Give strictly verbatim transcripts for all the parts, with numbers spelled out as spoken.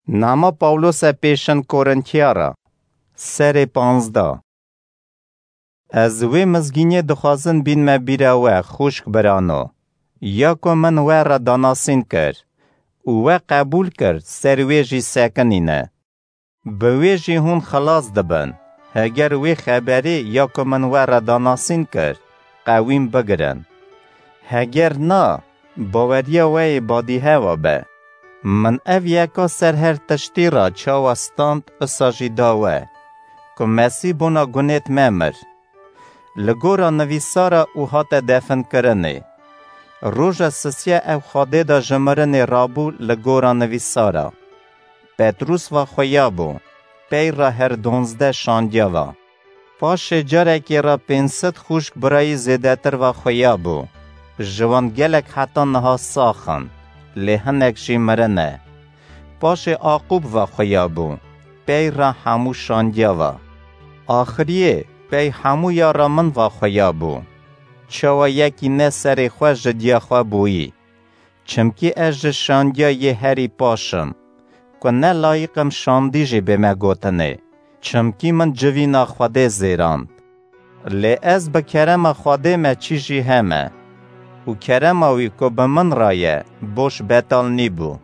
Nama Pawlose pêşin Korintiyara. Serê panzdeh. Ez wê mizgîniyê dixwazin bînme bîra we, xwişk birano, ya ku min we re danasîn kir û we qebûl kir, ser wê jî sekinîne. Bi wê jî hûn xilas dibin, heger wê xeberê ya ku min we re danasîn kir, qewîm bigirin. Heger na, baweriya we yê badîhewa be. Min ev yeka ser her tiştî re çawa stand, isa jî da we, ku Mesîh bona gunêt me mir. Li gora nivîsara û hate definkirinê. Roja sisiya ew Xwedê de ji mirinê rabû li gora nivîsara. Petrûs va xuya bû, pey re her donzdeh şandiya va. Paşê carekê re pênc sed xwişk birayî zêdetir va xuya bû. Ji wan gelek heta niha sax in, lê hinek jî mirine. Paşê Aqûb va xuya bû, pey re hemû şandiya va. Axiriyê pey hemû ya re min va xuya bû. Çawa yekî ne serê xwe ji diya xwe bûyî. Çimkî ez ji şandiya yê herî paş im, ku ne layiq im şandî jî bême gotinê, çimkî min civîna Xwedê zêrand. Lê ez bi kerema Xwedê me çî jî heme, û kerema wî ku bi min re ye, boş betal nîbû.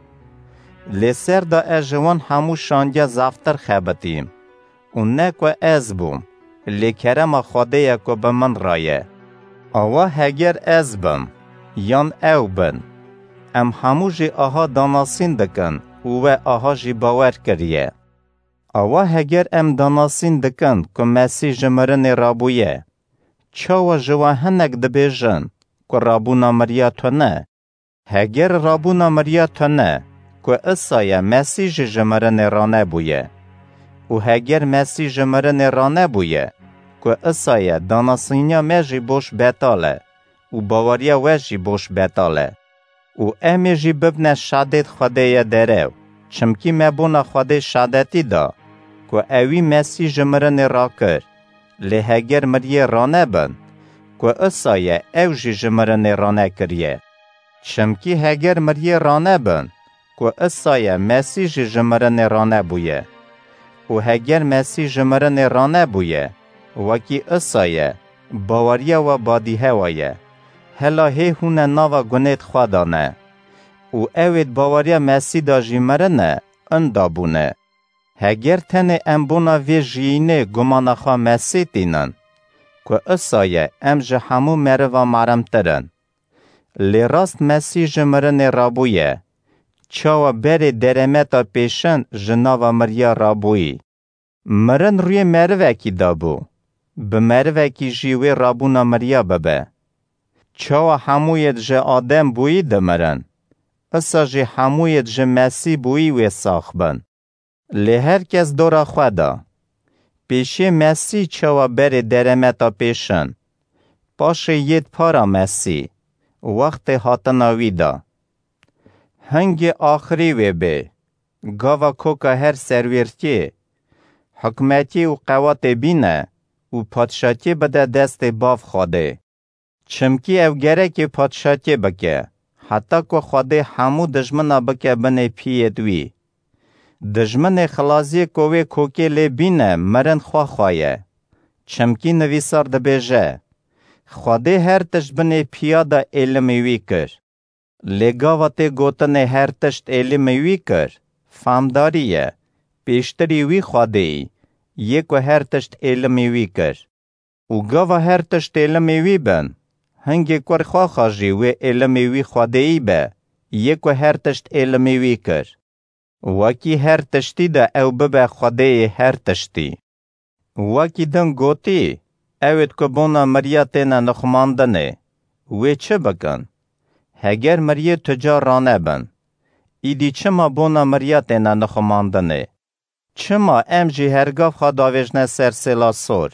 Lê ser de ez ji wan hemû şandiya zaftir xebitîm. Û ne ku ez bûm, lê kerema Xwedê ye ku bi min re ye. Awa heger ez bim, yan ew bin, em hemû jî aha danasîn dikin û we aha jî bawer kiriye. Awa heger em danasîn dikin ku Mesîh ji mirinê rabûye, çawa ji we hinek dibêjin ku rabûna miriya tune? Heger rabûna miriya tune, ku isa ye Mesîh jî ji mirinê ranebûye. Û heger Mesîh ji mirinê ranebûye, ku isa ye danasîniya me jî boş betal e û baweriya we jî boş betal e. Û em ê jî bibne şadêt Xwedê ye derew, çimkî me bona Xwedê şadetî da, ku ewî Mesîh ji mirinê rakir. Lê heger miriyê ranebin, ku isa ye ew jî ji mirinê ranekiriye. Çimkî heger miriyê ranebin, ku isa ye Mesîh jî ji mirinê ranebûye. Û heger Mesîh ji mirinê ranebûye, wekî isa ye, baweriya we badîhewa ye. Hela hê hûne nava gunêt xwe de ne. Û ewêt baweriya Mesîh de jî mirine, inda bûne. Heger tenê em bona vê jiyînê gumana xwe Mesîh tînin, ku isa ye em ji hemû meriva meremtir in. Lê rast Mesîh ji mirinê rabûye, çawa berê deremeta pêşin ji nava miriya rabûyî. Mirin rûyê merivekî dabû, bi merivekî jî wê rabûna miriya bibe. Çawa hemûyêt ji Adem bûyî dimirin, isa jî hemûyêt ji Mesîh bûyî wê sax bin. Lê her kes dora xwe da. Pêşê Mesîh çawa berê deremeta pêşin, paşê yêt para Mesîh, wextê hatina wî da. Hingê axirî wê bê, gava koka her serwêrtiyê, hikmetiyê û qewatê bîne û padşatiyê bide destê Bav Xwedê. Çimkî ew gerekê padşatiyê bike, heta ku Xwedê hemû dijmina bike binê piyêt wî. Dijminê xilaziyê ku wê kokê lê bîne, mirin xwe xwe ye. Çimkî nivîsar dibêje, Xwedê her tişt binê piya de êlimî wî kir. Lê gava tê gotinê her tişt êlimî wî kir, famdarî ye, pêştirî wî Xwedêyî, yê ku her tişt êlimî wî kir. Û gava her tişt êlimî wî bin, hingê kur xwexa jî wê êlimî wî Xwedêyî be, yê ku her tişt êlimî wî kir. Wekî her tiştî de ew bibe Xwedêyê her tiştî. Wekî din gotî, ewêt ku bona miriya têne nixumandinê, wê çi bikin? Heger miriyê tu ca ranebin, îdî çima bona miriya têne nixumandinê? Çima em jî her gav xwe davêjne ser sêla sor?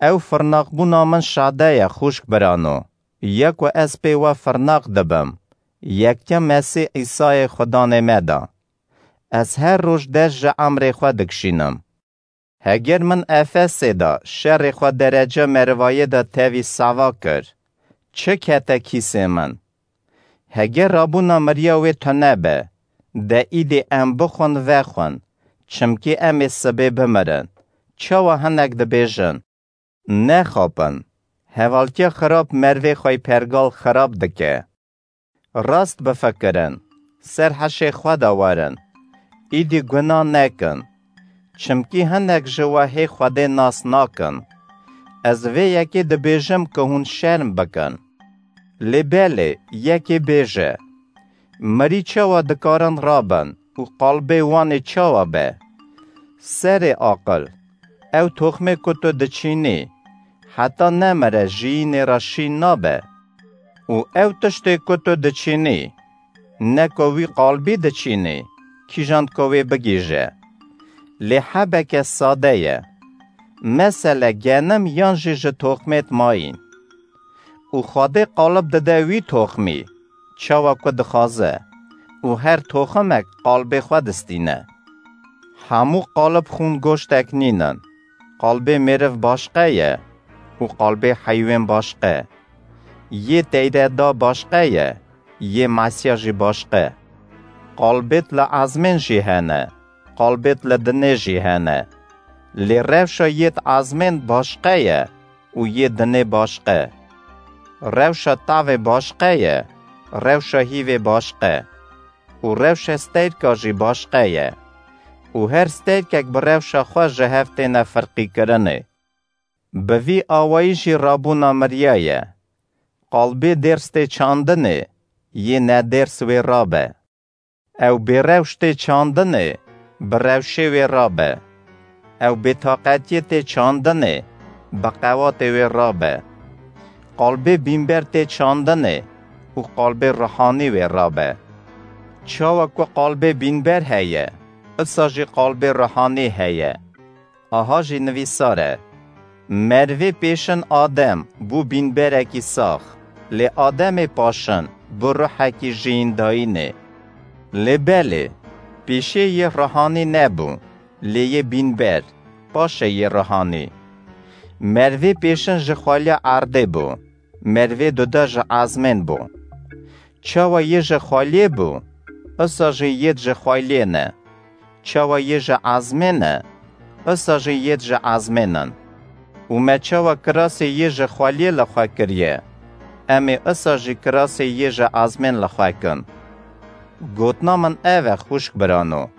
Ew firnaqbûna min şade ye, xwişk birano, ya ku ez pê we firnaq dibim, yektiya Mesîh Îsayê Xudanê me de. Ez her roj dest ji emrê xwe dikişînim. Heger min Efesê de şerê xwe derece merivayê de tevî sava kir, çi kete kîsê min? Heger rabûna miriya wê tune be, De îdî em bixwin vexwin, çimkî em ê sibê bimirin. Çawa hinek dibêjin, nexapin. Hevaltiya xirab mervê xwe yî pergal xirab dike. Rast bifikirin, ser heşê xwe de werin. Îdî guna nekin. Çimkî hinek ji we hê Xwedê nas nakin. Ez vê yekê dibêjim ku hûn şerm bikin. Lê belê, yekê bêje, mirî çawa dikarin rabin û qalbê wan ê çawa be? Serê aqil, ew toxmê ku tu diçînî, heta nemire jiyînê re şîn nabe. Û ew tiştê ku tu diçînî, ne ku wî qalbî diçînî, kîjan ku wê bigihîje. Lê hebeke sade ye. Mesele genim yan jî ji toxmêt mayîn. Û Xwedê qalib dide wî toxmî, çawa ku dixwaze, û her toximek qalbê xwe distîne. Hemû qalib xûn goştek nînin. Qalbê mêriv başqe ye û qalbê heywên başqe. Yê teyde da başqe ye, yê Mesîya jî başqe. Qalbêt li ezmên jî hene, qalbêt li dinê jî hene. Lê rewşa yêt ezmên başqe ye û yê dinê başqe. Rewşa tavê başqe ye, rewşa hîvê başqe. Û rewşa stêrka jî başqe ye. Û her stêrkek bi rewşa xwe ji hev têne firqîkirinê. Bi vî awayî jî rabûna miriya ye. Qalbê dêrs tê çandinê, yê nedêrs wê rabe. Ew bêrewş tê çandinê, bi rewşê wê rabe. Ew bêtaqetiyê tê çandinê, bi qewatê wê rabe. Qalbê bînber tê çandinê û qalbê ruhanî wê rabe. Çawa ku qalbê bînber heye, isa jî qalbê ruhanî heye. Aha jî nivîsar e: Merivê pêşin Adem bû bînberekî sax, lê Ademê paşin bû ruhekî jiyîndayînê. Lê belê, pêşê yê ruhanî nebû, lê yê bînber, paşê yê ruhanî. Merivê pêşin ji xweliya erdê bû, merivê duda ji ezmên bû. Çawa yê ji xweliyê bû, isa jî yêt ji xweliyê ne. Çawa yê ji ezmên e, isa jî yêt ji ezmên in. Û me çawa kirasê yê ji xweliyê li xwe kiriye, em ê isa jî kirasê yê ji ezmên li xwe kin. Gotina min ev e, xwişk birano,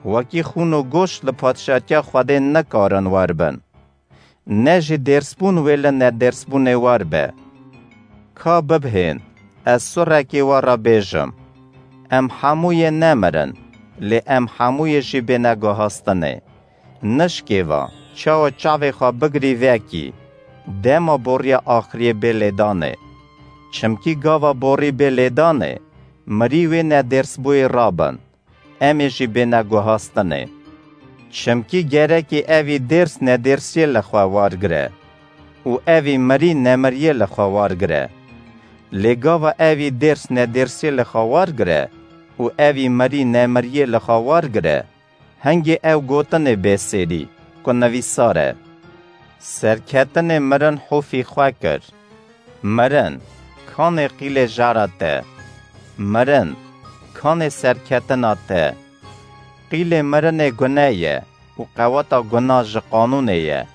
wekî xûn û goşt li padşatiya Xwedê nikarin wer bin. Ne jî dêrsbûn wê li nedêrsbûnê war be. Ka bibhên, ez surekê we re bêjim: Em hemû yê nemirin, lê em hemû yê jî bêne guhastinê. Nişkêva, çawa çavê xwe bigirî vekî, dema boriya axiriyê bê lêdanê. Çimkî gava borî bê lêdanê, mirî wê nedêrsbûyê rabin, em ê jî bêne guhastinê. Çimkî gerekî evî dêrs nedêrsiyê li xwe wargire û evî mirî nemiriyê li xwe wargire. Lê gava evî dêrs nedêrsiyê li xwe wargire û evî mirî nemiriyê li xwe wargire, hingê ew gotinê bê sêrî ku nivîsar e: Serketinê mirin hofî xwe kir. Mirin, kanê qîlê jara te? Mirin, kanê serketina te? Qîlê mirinê gune ye û qeweta guna ji qanûnê ye.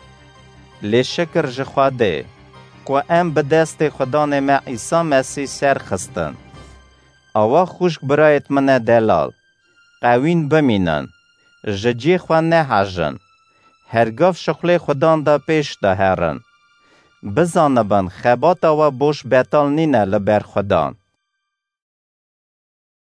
Lê şikir ji Xwedê, ku em bi destê Xudanê me Îsa Mesîh ser xistin. Awa xwişk birayêt min e delal, qewîn bimînin, ji cihê xwe nehejin, hergav şixulê Xudan de pêş de herin. Bizanibin, xebata we boş betal nîne li ber Xudan.